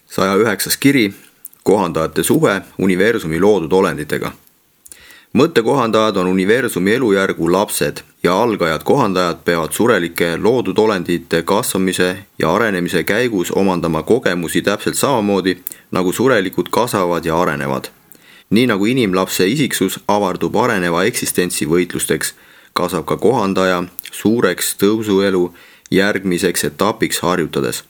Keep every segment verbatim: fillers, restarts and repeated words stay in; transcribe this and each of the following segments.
saja üheksas kiri, kohandajate suhe universumi loodud olenditega. Mõttekohandajad on universumi elujärgu lapsed ja algajad kohandajad peavad surelike loodud olendite kasvamise ja arenemise käigus omandama kogemusi täpselt samamoodi, nagu surelikud kasvavad ja arenevad. Nii nagu inimlapse isiksus avardub areneva eksistentsi võitlusteks, kasvab ka kohandaja suureks tõusuelu järgmiseks etapiks harjutades.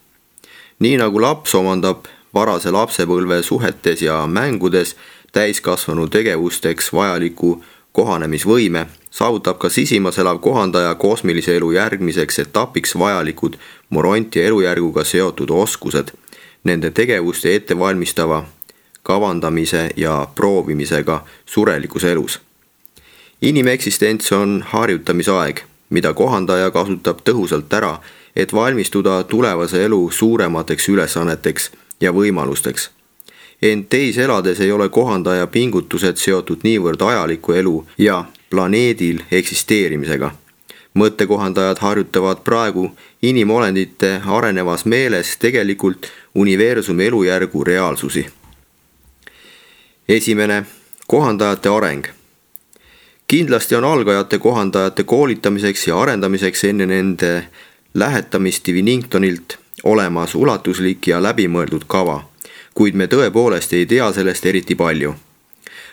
Nii nagu laps omandab varase lapsepõlve suhetes ja mängudes täiskasvanu tegevusteks vajaliku kohanemisvõime, saavutab ka sisimas elav kohandaja kosmilise elu järgmiseks etapiks vajalikud moronti elujärguga seotud oskused, nende tegevuste ettevalmistava kavandamise ja proovimisega surelikus elus. Inimeksistents on harjutamisaeg, mida kohandaja kasutab tõhusalt ära, et valmistuda tulevase elu suuremateks ülesanneteks ja võimalusteks. Ent teis elades ei ole kohandaja pingutused seotud niivõrd ajaliku elu ja planeedil eksisteerimisega. Mõttekohandajad harjutavad praegu inimolendite arenevas meeles tegelikult universumi elujärgu reaalsusi. Esimene, kohandajate areng. Kindlasti on algajate kohandajate koolitamiseks ja arendamiseks enne nende lähetamist Diviningtonilt olemas ulatuslik ja läbimõeldud kava, kuid me tõepoolest ei tea sellest eriti palju.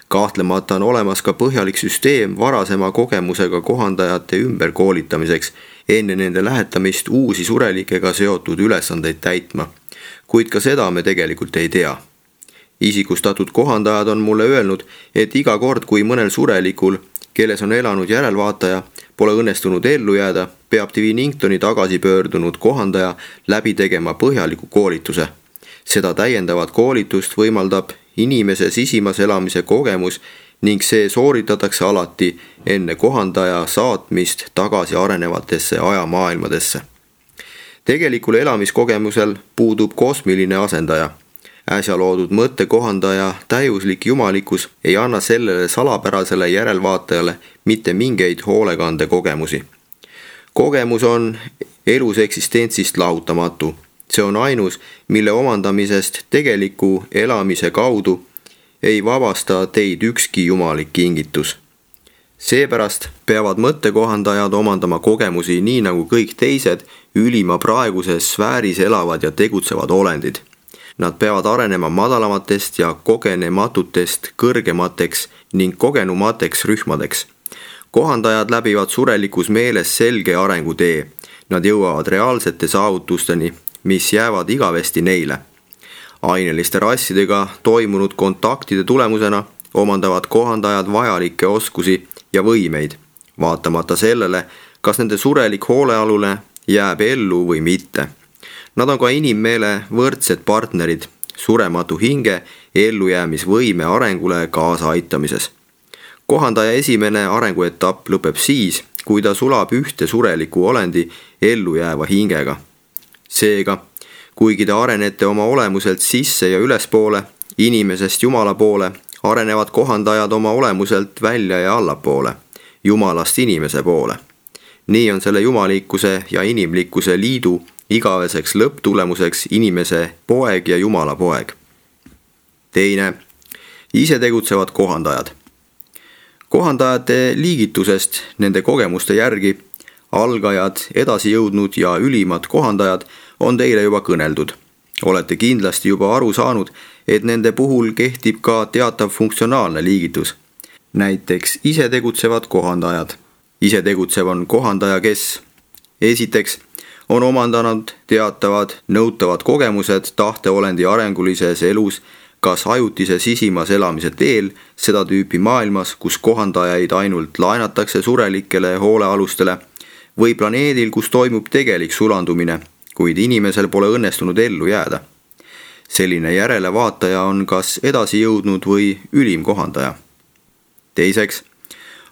Kahtlemata on olemas ka põhjalik süsteem varasema kogemusega kohandajate ümberkoolitamiseks enne nende lähetamist uusi surelikega seotud ülesandeid täitma, kuid ka seda me tegelikult ei tea. Isikustatud kohandajad on mulle öelnud, et iga kord, kui mõnel surelikul, kelles on elanud järelvaataja, pole õnnestunud ellu jääda, peab Diviningtoni tagasi pöördunud kohandaja läbi tegema põhjaliku koolituse. Seda täiendavat koolitust võimaldab inimese sisimas elamise kogemus ning see sooritatakse alati enne kohandaja saatmist tagasi arenevatesse ajamaailmadesse. Tegelikul elamiskogemusel puudub kosmiline asendaja. Äsja loodud mõttekohandaja täiuslik jumalikkus ei anna sellele salapärasele järelvaatajale mitte mingeid hoolekande kogemusi. Kogemus on elus eksistentsist lahutamatu. See on ainus, mille omandamisest tegeliku elamise kaudu ei vabasta teid ükski jumalik kingitus. Seepärast peavad mõttekohandajad omandama kogemusi nii nagu kõik teised ülima praeguses sfääris elavad ja tegutsevad olendid. Nad peavad arenema madalamatest ja kogenematutest kõrgemateks ning kogenumateks rühmadeks. Kohandajad läbivad surelikus meeles selge arengutee. Nad jõuavad reaalsete saavutusteni, mis jäävad igavesti neile. Aineliste rassidega toimunud kontaktide tulemusena omandavad kohandajad vajalikke oskusi ja võimeid, vaatamata sellele, kas nende surelik hoolealune jääb ellu või mitte. Nad on ka inimmeele võrdsed partnerid, surematu hinge ellujäämisvõime arengule kaasa aitamises. Kohandaja esimene arenguetapp lõpeb siis, kui ta sulab ühte sureliku olendi ellujääva hingega. Seega, kuigi te arenete oma olemuselt sisse ja ülespoole, inimesest Jumala poole, arenevad kohandajad oma olemuselt välja ja allapoole, Jumalast inimese poole. Nii on selle jumalikkuse ja inimlikkuse liidu igaveseks lõpptulemuseks inimese poeg ja Jumala poeg. Teine, ise tegutsevad kohandajad. Kohandajate liigitusest nende kogemuste järgi algajad, edasi jõudnud ja ülimad kohandajad on teile juba kõneldud. Olete kindlasti juba aru saanud, et nende puhul kehtib ka teatav funktsionaalne liigitus. Näiteks ise tegutsevad kohandajad. Ise tegutsev on kohandaja, kes esiteks on omandanud teatavad nõutavad kogemused tahteolendi arengulises elus, kas ajutise sisimas elamise teel, seda tüüpi maailmas, kus kohandajaid ainult laenatakse surelikele hoolealustele, või planeedil, kus toimub tegelik sulandumine, kuid inimesel pole õnnestunud ellu jääda. Selline järelevaataja on kas edasi jõudnud või ülim kohandaja. Teiseks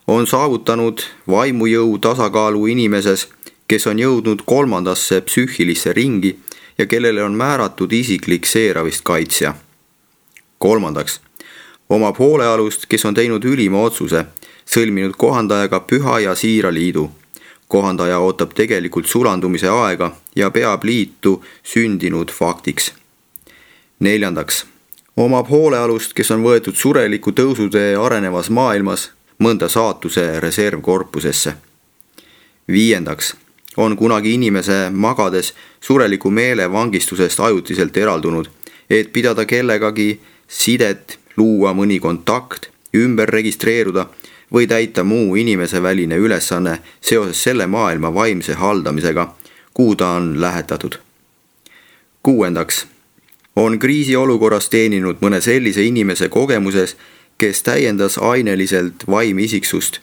on saavutanud vaimujõu tasakaalu inimeses, kes on jõudnud kolmandasse psüühilisse ringi ja kellele on määratud isiklik seeravist kaitsja. Kolmandaks, omab hoolealust, kes on teinud ülima otsuse, sõlminud kohandajaga püha ja siira liidu. Kohandaja ootab tegelikult sulandumise aega ja peab liitu sündinud faktiks. neljandaks omab hoolealust, kes on võetud sureliku tõusutee arenevas maailmas mõnda saatuse reservkorpusesse. Viiendaks on kunagi inimese magades sureliku meele vangistusest ajutiselt eraldunud, et pidada kellegagi sidet, luua mõni kontakt, ümber registreeruda või täita muu inimese väline ülesanne seoses selle maailma vaimse haldamisega, kuhu ta on lähetatud. Kuuendaks on kriisiolukorras teeninud mõne sellise inimese kogemuses, kes täiendas aineliselt vaimisiksust,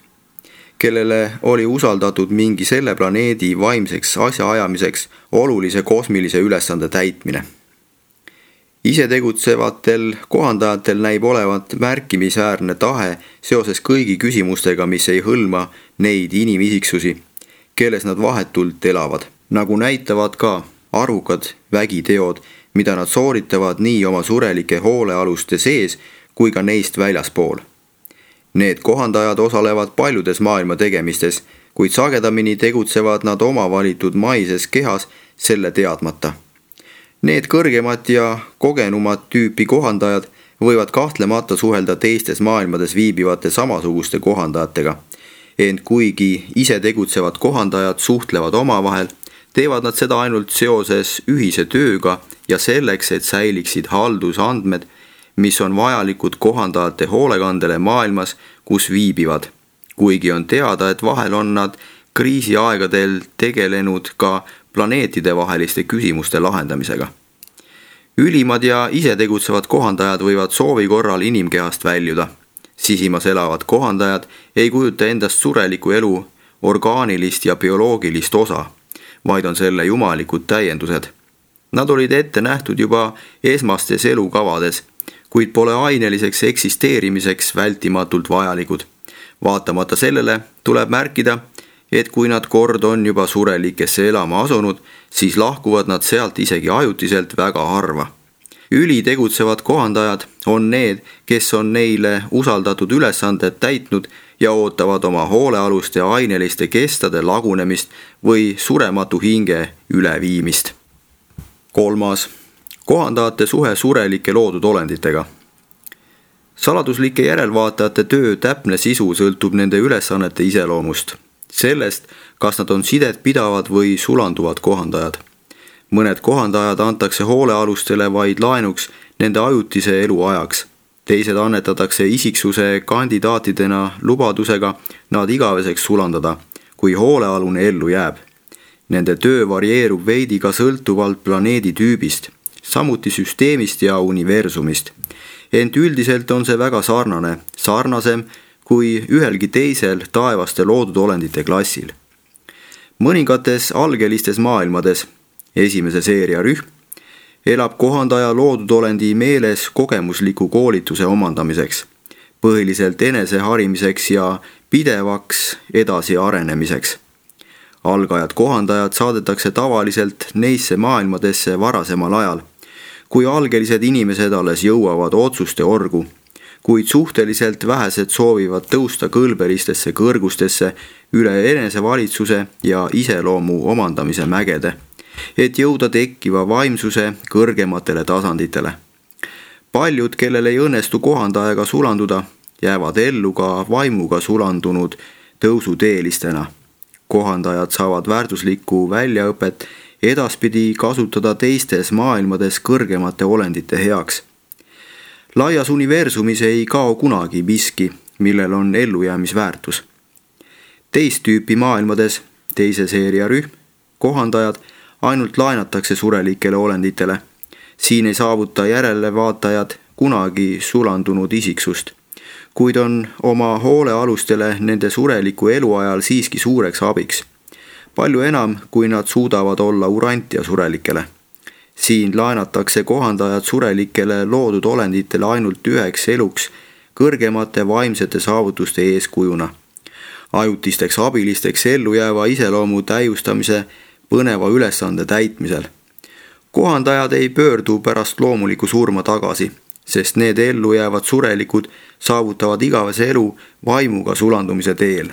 kellele oli usaldatud mingi selle planeedi vaimseks asjaajamiseks olulise kosmilise ülesande täitmine. Isetegutsevatel kohandajatel näib olevat märkimisväärne tahe seoses kõigi küsimustega, mis ei hõlma neid inimisiksusi, kelles nad vahetult elavad, nagu näitavad ka arvukad vägiteod, mida nad sooritavad nii oma surelike hoolealuste sees kui ka neist väljaspool. Need kohandajad osalevad paljudes maailma tegemistes, kuid sagedamini tegutsevad nad oma valitud maises kehas selle teadmata. Need kõrgemad ja kogenumad tüüpi kohandajad võivad kahtlemata suhelda teistes maailmades viibivate samasuguste kohandajatega, ent kuigi ise tegutsevad kohandajad suhtlevad omavahel, teevad nad seda ainult seoses ühise tööga ja selleks, et säiliksid haldusandmed, mis on vajalikud kohandajate hoolekandele maailmas, kus viibivad. Kuigi on teada, et vahel on nad kriisiaegadel tegelenud ka planeetide vaheliste küsimuste lahendamisega. Ülimad ja isetegutsevad kohandajad võivad soovi korral inimkehast väljuda. Sisimas elavad kohandajad ei kujuta endast sureliku elu orgaanilist ja bioloogilist osa, vaid on selle jumalikud täiendused. Nad olid ette nähtud juba esmastes elukavades, kuid pole aineliseks eksisteerimiseks vältimatult vajalikud. Vaatamata sellele tuleb märkida, et kui nad kord on juba surelikesse elama asunud, siis lahkuvad nad sealt isegi ajutiselt väga harva. Ülitegutsevad kohandajad on need, kes on neile usaldatud ülesanded täitnud ja ootavad oma hoolealuste aineliste kestade lagunemist või surematu hinge üleviimist. Kolmas. Kohandajate suhe surelike loodud olenditega. Saladuslike järelvaatajate töö täpne sisu sõltub nende ülesannete iseloomust, sellest, kas nad on sidet pidavad või sulanduvad kohandajad. Mõned kohandajad antakse hoolealustele vaid laenuks nende ajutise elu ajaks. Teised annetatakse isiksuse kandidaatidena lubadusega nad igaveseks sulandada, kui hoolealune ellu jääb. Nende töö varieerub veidi ka sõltuvalt planeedi tüübist, samuti süsteemist ja universumist. Ent üldiselt on see väga sarnane, sarnasem kui ühelgi teisel taevaste loodud olendite klassil. Mõningates algelistes maailmades, esimese seeria rühm, elab kohandaja loodud olendi meeles kogemusliku koolituse omandamiseks, põhiliselt eneseharimiseks ja pidevaks edasi arenemiseks. Algajad kohandajad saadetakse tavaliselt neisse maailmadesse varasemal ajal, kui algelised inimesed alles jõuavad otsuste orgu, kuid suhteliselt vähesed soovivad tõusta kõlbelistesse kõrgustesse üle enesevalitsuse ja iseloomu omandamise mägede, et jõuda tekkiva vaimsuse kõrgematele tasanditele. Paljud, kellel ei õnnestu kohandajaga sulanduda, jäävad ellu ka vaimuga sulandunud tõusuteelistena. Kohandajad saavad väärtuslikku väljaõpet edaspidi kasutada teistes maailmades kõrgemate olendite heaks. Laias universumis ei kao kunagi miski, millel on ellujäämisväärtus. Teist tüüpi maailmades, teise seeria rühm, kohandajad ainult laenatakse surelikele olenditele. Siin ei saavuta järelevaatajad kunagi sulandunud isiksust, kuid on oma hoolealustele nende sureliku eluajal siiski suureks abiks. Palju enam, kui nad suudavad olla urantia surelikele. Siin laenatakse kohandajad surelikele loodud olenditele ainult üheks eluks kõrgemate vaimsete saavutuste eeskujuna. Ajutisteks abilisteks ellu jääva iseloomu täiustamise põneva ülesande täitmisel. Kohandajad ei pöördu pärast loomuliku surma tagasi, sest need ellu jäävad surelikud saavutavad igavese elu vaimuga sulandumise teel.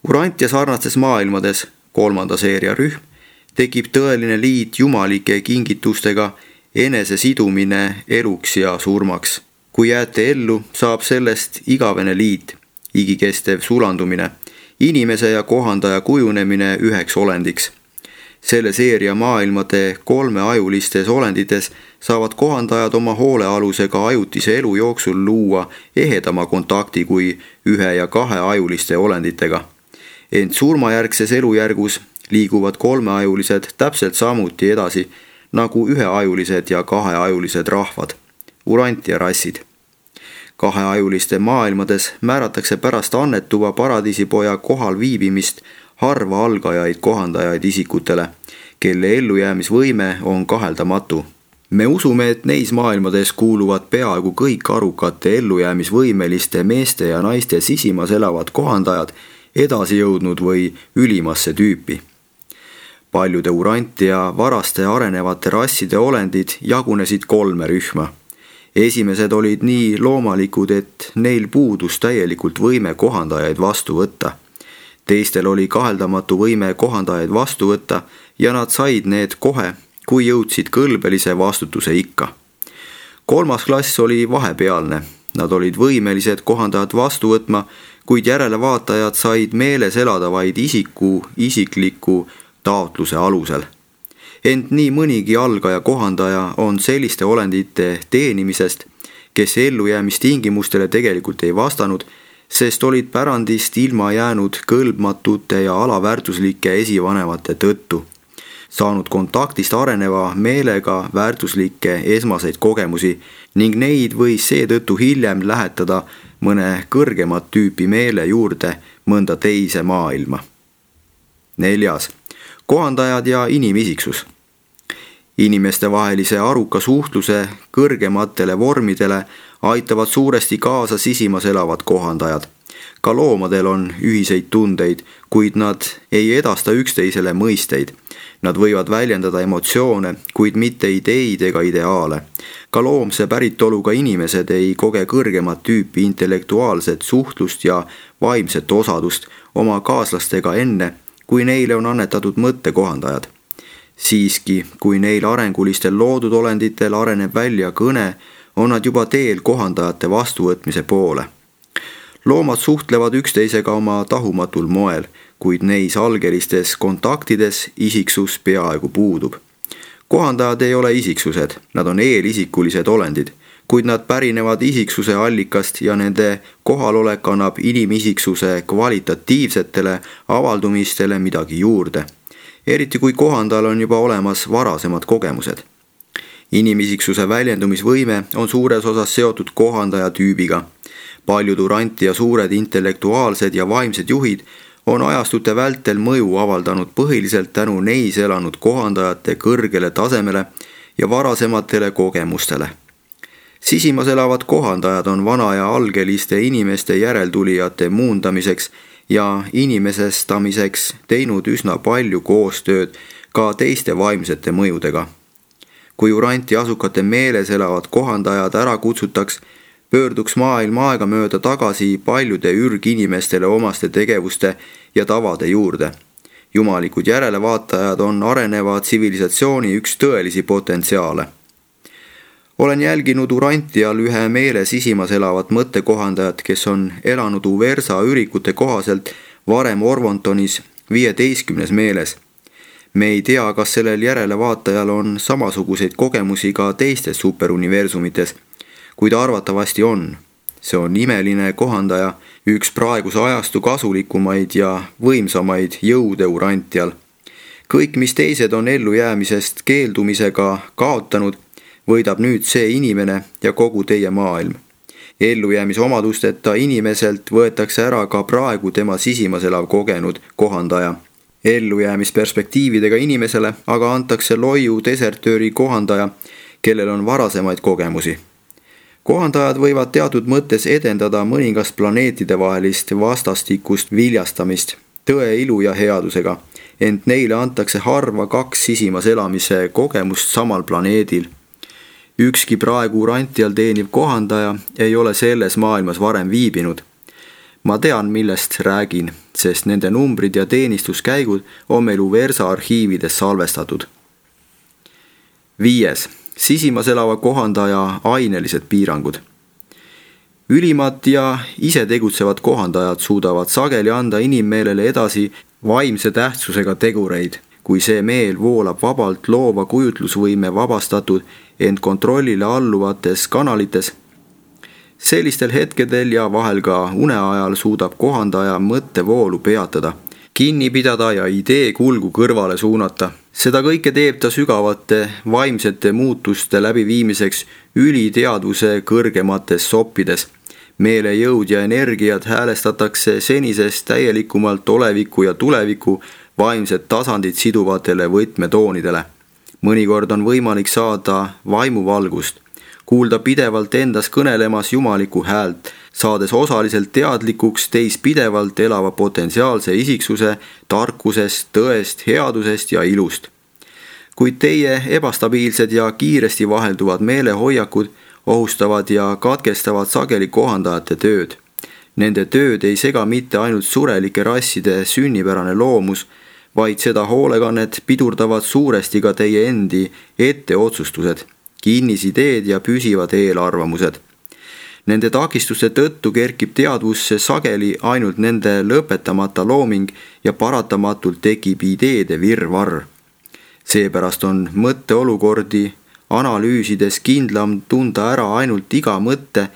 Urantia sarnastes maailmades, kolmanda seeria rühm, tekib tõeline liit jumalike kingitustega enese sidumine eluks ja surmaks. kui jääte ellu, saab sellest igavene liit, igikestev sulandumine, inimese ja kohandaja kujunemine üheks olendiks. Selle seeria maailmade kolmeajulistes olendites saavad kohandajad oma hoolealusega ajutise elu jooksul luua ehedama kontakti kui ühe- ja kaheajuliste olenditega. Ent surmajärgses elujärgus liiguvad kolmeajulised täpselt samuti edasi nagu üheajulised ja kaheajulised rahvad, urantia rassid. Kaheajuliste maailmades määratakse pärast annetuva paradiisipoja kohal viibimist harva algajaid kohandajaid isikutele, kelle ellujäämisvõime on kaheldamatu. Me usume, et neis maailmades kuuluvad peaaegu kõik arukate ellujäämisvõimeliste meeste ja naiste sisimas elavad kohandajad edasi jõudnud või ülimasse tüüpi. Paljude urantia varaste arenevate rasside olendid jagunesid kolme rühma. Esimesed olid nii loomalikud, et neil puudus täielikult võime kohandajaid vastu võtta. Teistel oli kaheldamatu võime kohandajaid vastu võtta ja nad said need kohe, kui jõudsid kõlbelise vastutuse ikka. Kolmas klass oli vahepealne. Nad olid võimelised kohandajad vastu võtma, kuid järelevaatajad said meeles elada vaid isiku isikliku taotluse alusel. Ent nii mõnigi algaja kohandaja on selliste olendite teenimisest, kes ellujäämistingimustele tegelikult ei vastanud, sest olid pärandist ilma jäänud kõlbmatute ja alaväärtuslike esivanemate tõttu, saanud kontaktist areneva meelega väärtuslikke esmaseid kogemusi ning neid võis seetõttu hiljem lähetada mõne kõrgemat tüüpi meele juurde mõnda teise maailma. Neljas. Kohandajad ja inimisiksus. Inimestevahelise aruka suhtluse kõrgematele vormidele aitavad suuresti kaasa sisimas elavad kohandajad. Ka loomadel on ühiseid tundeid, kuid nad ei edasta üksteisele mõisteid. Nad võivad väljendada emotsioone, kuid mitte ideid ega ideaale. Ka loomse päritoluga inimesed ei koge kõrgemat tüüpi intellektuaalset suhtlust ja vaimset osadust oma kaaslastega enne, kui neile on annetatud mõttekohandajad. Siiski, kui neil arengulistel loodud olenditel areneb välja kõne, on nad juba teel kohandajate vastuvõtmise poole. Loomad suhtlevad üksteisega oma tahumatul moel, kuid neis algelistes kontaktides isiksus peaaegu puudub. Kohandajad ei ole isiksused, nad on eelisikulised olendid, kuid nad pärinevad isiksuse allikast ja nende kohalolek annab inimisiksuse kvalitatiivsetele avaldumistele midagi juurde, eriti kui kohandajal on juba olemas varasemad kogemused. Inimisiksuse väljendumisvõime on suures osas seotud kohandaja tüübiga. Paljud urantia suured intellektuaalsed ja vaimsed juhid on ajastute vältel mõju avaldanud põhiliselt tänu neis elanud kohandajate kõrgele tasemele ja varasematele kogemustele. Sisimas elavad kohandajad on vana ja algeliste inimeste järeltulijate muundamiseks ja inimesestamiseks teinud üsna palju koostööd ka teiste vaimsete mõjudega. Kui uranti asukate meeles elavad kohandajad ära kutsutaks, pöörduks maailm aegamööda tagasi paljude ürginimestele omaste tegevuste ja tavade juurde. Jumalikud järelevaatajad on areneva tsivilisatsiooni üks tõelisi potentsiaale. Olen jälginud urantial ühe meele sisimas elavat mõttekohandajat, kes on elanud Uversa ürikute kohaselt varem Orvontonis viieteistkümnes meeles. Me ei tea, kas sellel järelevaatajal on samasuguseid kogemusi ka teistes superuniversumites, kuid arvatavasti on. See on imeline kohandaja, üks praeguse ajastu kasulikumaid ja võimsamaid jõude urantial. Kõik, mis teised on ellujäämisest keeldumisega kaotanud, võidab nüüd see inimene ja kogu teie maailm. Ellujäämise omadusteta inimeselt võetakse ära ka praegu tema sisimas elav kogenud kohandaja. Ellujäämisperspektiividega inimesele aga antakse loiu desertööri kohandaja, kellel on varasemaid kogemusi. Kohandajad võivad teatud mõttes edendada mõningast planeetide vahelist vastastikust viljastamist tõe, ilu ja headusega, ent neile antakse harva kaks sisimas elamise kogemust samal planeedil. Ükski praegu urantial teeniv kohandaja ei ole selles maailmas varem viibinud. Ma tean, millest räägin, sest nende numbrid ja teenistuskäigud on meil Uversa arhiivides salvestatud. Viies. sisimas elava kohandaja ainelised piirangud. Ülimad ja ise tegutsevad kohandajad suudavad sageli anda inimmeelele edasi vaimse tähtsusega tegureid, kui see meel voolab vabalt loova kujutlusvõime vabastatud ent kontrollile alluvates kanalites. Sellistel hetkedel ja vahel ka une ajal suudab kohandaja mõttevoolu peatada, kinni pidada ja idee kulgu kõrvale suunata. Seda kõike teeb ta sügavate vaimsete muutuste läbiviimiseks üliteadvuse kõrgemates soppides. Meele jõud ja energiat häälestatakse senisest täielikumalt oleviku ja tuleviku vaimsed tasandid siduvatele võtmetoonidele. Mõnikord on võimalik saada vaimuvalgust, kuulda pidevalt endas kõnelemas jumaliku häält, saades osaliselt teadlikuks teis pidevalt elava potentsiaalse isiksuse, tarkusest, tõest, headusest ja ilust. Kuid teie ebastabiilsed ja kiiresti vahelduvad meelehoiakud ohustavad ja katkestavad sageli kohandajate tööd. Nende tööd ei sega mitte ainult surelike rasside sünnipärane loomus, vaid seda hoolekannet pidurdavad suuresti ka teie endi etteotsustused, kinnisideed ja püsivad eelarvamused. Nende takistuste tõttu kerkib teadvusse sageli ainult nende lõpetamata looming ja paratamatult tekib ideede virvarr. Seepärast on mõtteolukordi analüüsides kindlam tunda ära ainult iga mõtte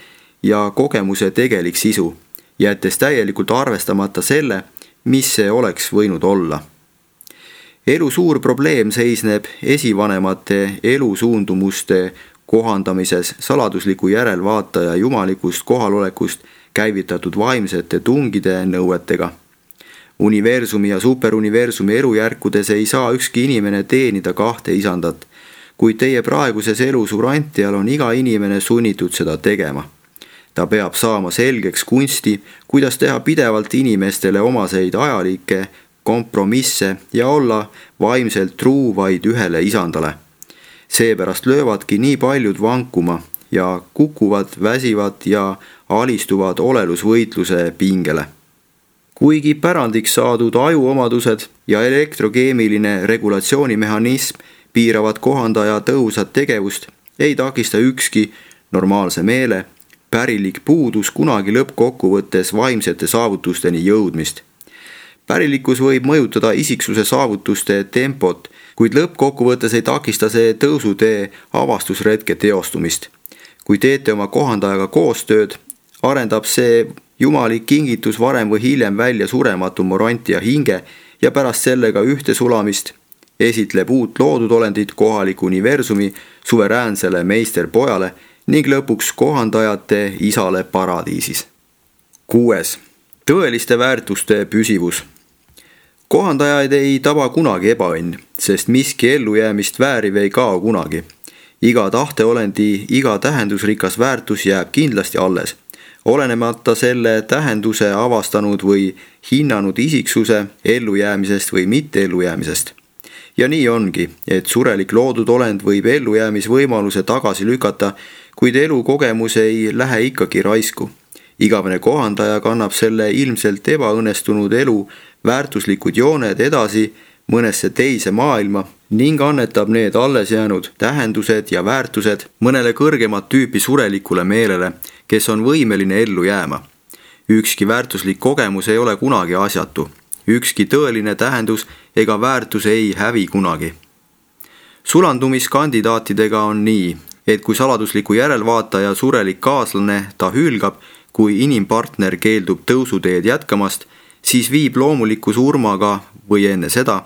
ja kogemuse tegelik sisu, jättes täielikult arvestamata selle, mis see oleks võinud olla. Elu suur probleem seisneb esivanemate elusuundumuste kohandamises saladusliku järelvaataja jumalikust kohalolekust käivitatud vaimsete tungide nõuetega. Universumi ja superuniversumi elujärkudes ei saa ükski inimene teenida kahte isandat, kuid teie praeguses elus urantial on iga inimene sunnitud seda tegema. Ta peab saama selgeks kunsti, kuidas teha pidevalt inimestele omaseid ajalikke kompromisse ja olla vaimselt truu vaid ühele isandale. Seepärast löövadki nii paljud vankuma ja kukuvad, väsivad ja alistuvad olelusvõitluse pingele. Kuigi pärandiks saadud ajuomadused ja elektrokeemiline regulatsioonimehhanism piiravad kohandaja tõhusat tegevust, ei takista ükski normaalse meele pärilik puudus kunagi lõppkokkuvõttes vaimsete saavutusteni jõudmist. Pärilikkus võib mõjutada isiksuse saavutuste tempot, kuid lõppkokkuvõttes ei takista see tõusutee avastusretke teostumist. Kui teete oma kohandajaga koostööd, arendab see jumalik kingitus varem või hiljem välja surematu morantia hinge ja pärast sellega ühte sulamist esitleb uut loodud olendit kohaliku universumi suveräänsele meisterpojale ning lõpuks kohandajate isale paradiisis. Kuues. Tõeliste väärtuste püsivus. Kohandajaid ei taba kunagi ebaõnn, sest miski ellujäämist vääriv ei kao kunagi. Iga tahteolendi, iga tähendusrikas väärtus jääb kindlasti alles, olenemata selle tähenduse avastanud või hinnanud isiksuse ellujäämisest või mitte ellujäämisest. Ja nii ongi, et surelik loodud olend võib ellujäämisvõimaluse tagasi lükata, kuid elukogemus ei lähe ikkagi raisku. Igavene kohandaja kannab selle ilmselt ebaõnnestunud elu väärtuslikud jooned edasi mõnesse teise maailma ning annetab need alles jäänud tähendused ja väärtused mõnele kõrgemat tüüpi surelikule meelele, kes on võimeline ellu jääma. Ükski väärtuslik kogemus ei ole kunagi asjatu. Ükski tõeline tähendus ega väärtus ei hävi kunagi. Sulandumiskandidaatidega on nii, et kui saladusliku järelvaataja surelik kaaslane ta hülgab, kui inimpartner keeldub tõusuteed jätkamast, siis viib loomuliku surmaga või enne seda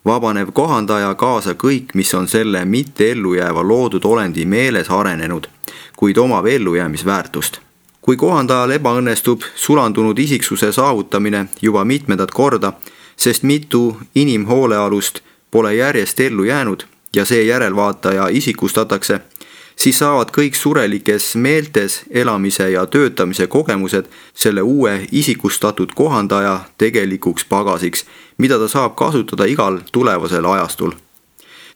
vabanev kohandaja kaasa kõik, mis on selle mitte ellujääva loodud olendi meeles arenenud, kuid omab ellujäämisväärtust. Kui kohandajal ebaõnnestub sulandunud isiksuse saavutamine juba mitmendat korda, sest mitu inimhoolealust pole järjest ellu jäänud ja see järelvaataja isikustatakse, siis saavad kõik surelikes meeltes elamise ja töötamise kogemused selle uue isikustatud kohandaja tegelikuks pagasiks, mida ta saab kasutada igal tulevasel ajastul.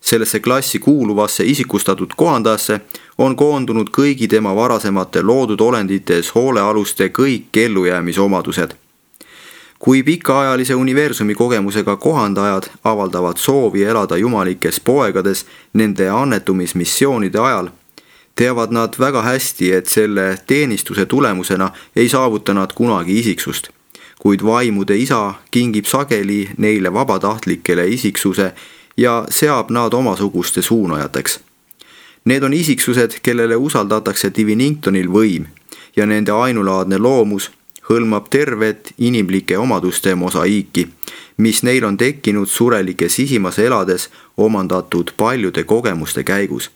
Sellesse klassi kuuluvasse isikustatud kohandajasse on koondunud kõigi tema varasemate loodud olendites hoolealuste kõik ellujäämisomadused. kui pikaajalise universumi kogemusega kohandajad avaldavad soovi elada jumalikes poegades nende annetumismissioonide ajal, teavad nad väga hästi, et selle teenistuse tulemusena ei saavuta nad kunagi isiksust, kuid vaimude isa kingib sageli neile vabatahtlikele isiksuse ja seab nad omasuguste suunajateks. Need on isiksused, kellele usaldatakse Diviningtonil võim ja nende ainulaadne loomus hõlmab tervet inimlike omaduste mosaiiki, mis neil on tekkinud surelike sisimas elades omandatud paljude kogemuste käigus.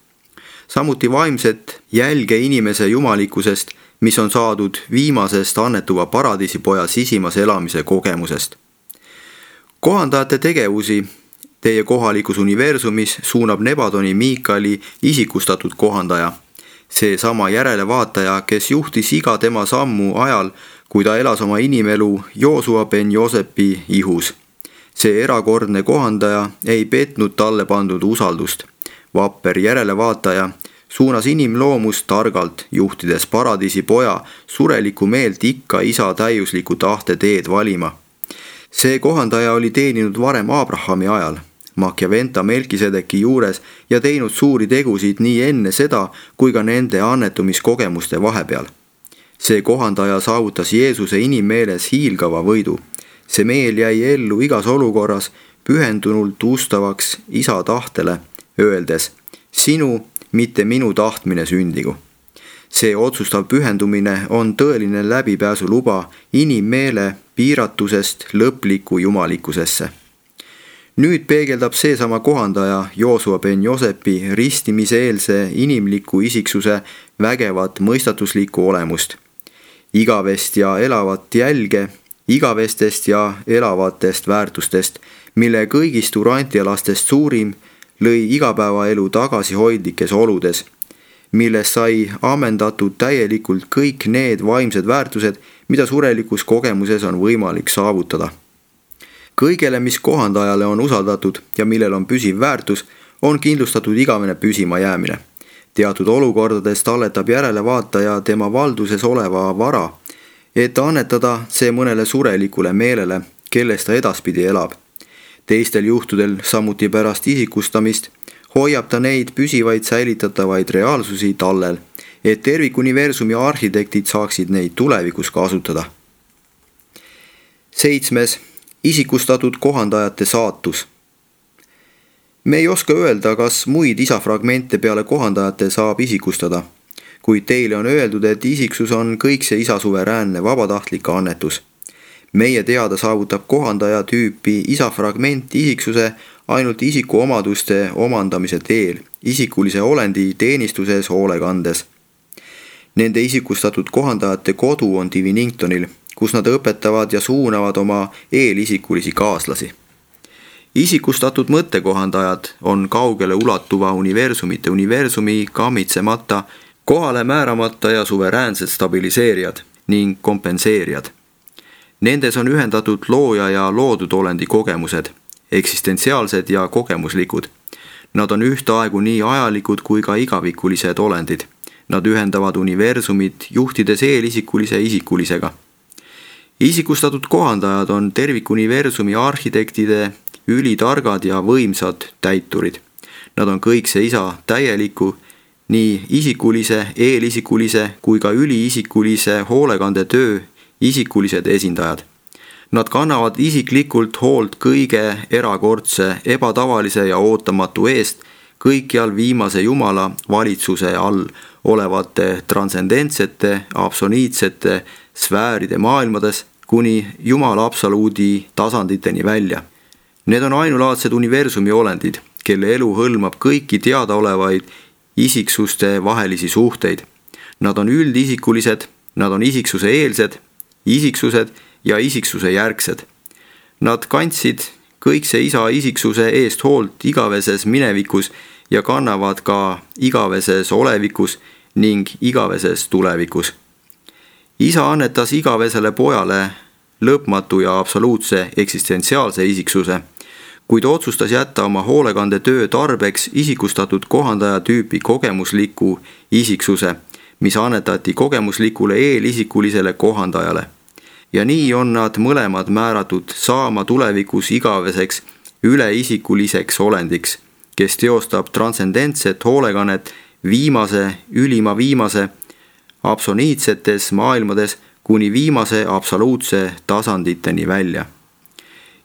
Samuti vaimset jälge inimese jumalikkusest, mis on saadud viimasest annetuva paradiisipoja sisimas elamise kogemusest. Kohandajate tegevusi teie kohalikus universumis suunab Nebadoni Miikali isikustatud kohandaja, see sama järelevaataja, kes juhtis iga tema sammu ajal, kui ta elas oma inimelu Joosua ben Josepi ihus. See erakordne kohandaja ei petnud talle pandud usaldust. Vapper järelevaataja suunas inimloomust targalt, juhtides paradiisi poja sureliku meelt ikka isa täiusliku tahte teed valima. See kohandaja oli teeninud varem Abrahami ajal, Machiaventa Melkisedeki juures ja teinud suuri tegusid nii enne seda kui ka nende annetumiskogemuste vahepeal. See kohandaja saavutas Jeesuse inimmeeles hiilgava võidu. See meel jäi ellu igas olukorras pühendunult ustavaks isa tahtele, öeldes, sinu, mitte minu tahtmine sündigu. See otsustav pühendumine on tõeline läbipääsu luba inimmeele piiratusest lõpliku jumalikkusesse. Nüüd peegeldab seesama kohandaja Joosua ben Josepi ristimiseelse inimliku isiksuse vägevat mõistatuslikku olemust. Igavest ja elavat jälge, igavestest ja elavatest väärtustest, mille kõigist urantialastest suurim lõi igapäevaelu tagasihoidlikes oludes, milles sai ammendatud täielikult kõik need vaimsed väärtused, mida surelikus kogemuses on võimalik saavutada. Kõigele, mis kohandajale on usaldatud ja millel on püsiv väärtus, on kindlustatud igavene püsima jäämine. Teatud olukordades talletab järelevaataja tema valduses oleva vara, et annetada see mõnele surelikule meelele, kellest ta edaspidi elab. Teistel juhtudel, samuti pärast isikustamist, hoiab ta neid püsivaid säilitatavaid reaalsusi tallel, et tervikuniversumi arhitektid saaksid neid tulevikus kasutada. Seitsmes. Isikustatud kohandajate saatus. Me ei oska öelda, kas muid isafragmente peale kohandajate saab isikustada, kuid teile on öeldud, et isiksus on kõikse isa suveräänne vabatahtlik annetus. Meie teada saavutab kohandaja tüüpi isafragment isiksuse ainult isiku omaduste omandamise teel, isikulise olendi teenistuses hoolekandes. Nende isikustatud kohandajate kodu on Diviningtonil, kus nad õpetavad ja suunavad oma eelisikulisi kaaslasi. Isikustatud mõttekohandajad on kaugele ulatuva universumite universumi kammitsemata, kohale määramata ja suveräänsed stabiliseerijad ning kompenseerijad. Nendes on ühendatud looja ja loodud olendi kogemused, eksistentsiaalsed ja kogemuslikud. Nad on ühtaegu nii ajalikud kui ka igavikulised olendid. Nad ühendavad universumit, juhtides eelisikulise isikulisega. Isikustatud kohandajad on tervikuniversumi arhitektide ülitargad ja võimsad täiturid. Nad on kõikse isa täieliku, nii isikulise, eelisikulise kui ka üliisikulise hoolekande töö isikulised esindajad. Nad kannavad isiklikult hoolt kõige erakordse, ebatavalise ja ootamatu eest kõikjal viimase Jumala valitsuse all olevate transcendentsete, absoliitsete sfääride maailmades kuni Jumala absoluudi tasanditeni välja. Need on ainulaadsed universumi olendid, kelle elu hõlmab kõiki teadaolevaid isiksuste vahelisi suhteid. Nad on üldisikulised, nad on isiksuse eelsed, isiksused ja isiksuse järgsed. Nad kandsid kõikse isa isiksuse eest hoolt igaveses minevikus ja kannavad ka igaveses olevikus ning igaveses tulevikus. Isa annetas igavesele pojale lõpmatu ja absoluutse eksistentsiaalse isiksuse, kuid otsustas jätta oma hoolekande töö tarbeks isikustatud kohandaja tüüpi kogemusliku isiksuse, mis annetati kogemuslikule eelisikulisele kohandajale. ja nii on nad mõlemad määratud saama tulevikus igaveseks üleisikuliseks olendiks, kes teostab transcendentset hoolekannet viimase, ülima viimase, absoliitsetes maailmades kuni viimase absoluutse tasanditeni välja.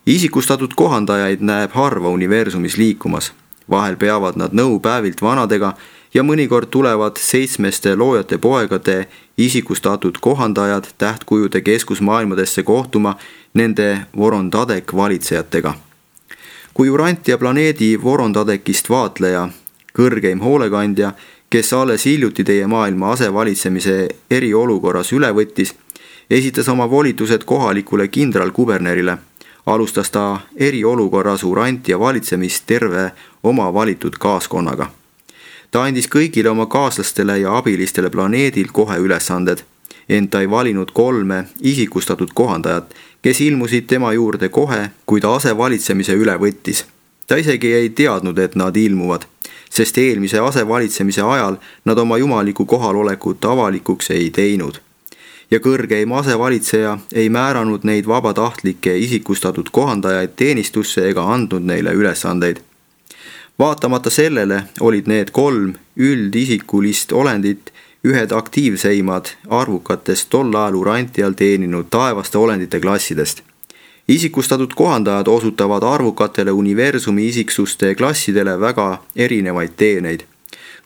Isikustatud kohandajaid näeb harva universumis liikumas. Vahel peavad nad nõu päevilt vanadega ja mõnikord tulevad seitsmeste loojate poegade isikustatud kohandajad tähtkujude keskusmaailmadesse kohtuma nende Vorondadek valitsejatega. Kui Urantia planeedi Vorondadekist vaatleja, kõrgeim hoolekandja, kes alles hiljuti teie maailma asevalitsemise eriolukorras üle võttis, esitas oma volitused kohalikule kindralkubernerile, alustas ta eriolukorras Urantia valitsemist terve oma valitud kaaskonnaga. Ta andis kõigile oma kaaslastele ja abilistele planeedil kohe ülesanded, ent ta ei valinud kolme isikustatud kohandajat, kes ilmusid tema juurde kohe, kui ta asevalitsemise üle võttis. Ta isegi ei teadnud, et nad ilmuvad, sest eelmise asevalitsemise ajal nad oma jumaliku kohalolekut avalikuks ei teinud. Ja kõrgeim asevalitseja ei määranud neid vabatahtlikke isikustatud kohandajaid teenistusse ega andnud neile ülesandeid. Vaatamata sellele olid need kolm üldisikulist olendit ühed aktiivseimad arvukatest tol ajal Urantial teeninud taevaste olendite klassidest. Isikustatud kohandajad osutavad arvukatele universumi isiksuste klassidele väga erinevaid teeneid,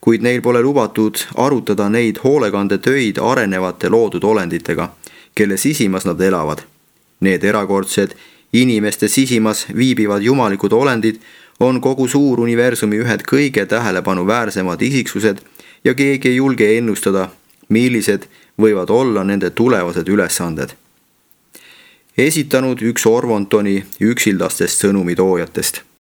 kuid neil pole lubatud arutada neid hoolekandetöid arenevate loodud olenditega, kelle sisimas nad elavad. Need erakordsed, inimeste sisimas viibivad jumalikud olendid on kogu suur universumi ühed kõige tähelepanuväärsemad isiksused ja keegi ei julge ennustada, millised võivad olla nende tulevased ülesanded. Esitanud üks Orvontoni üksildastest sõnumitoojatest.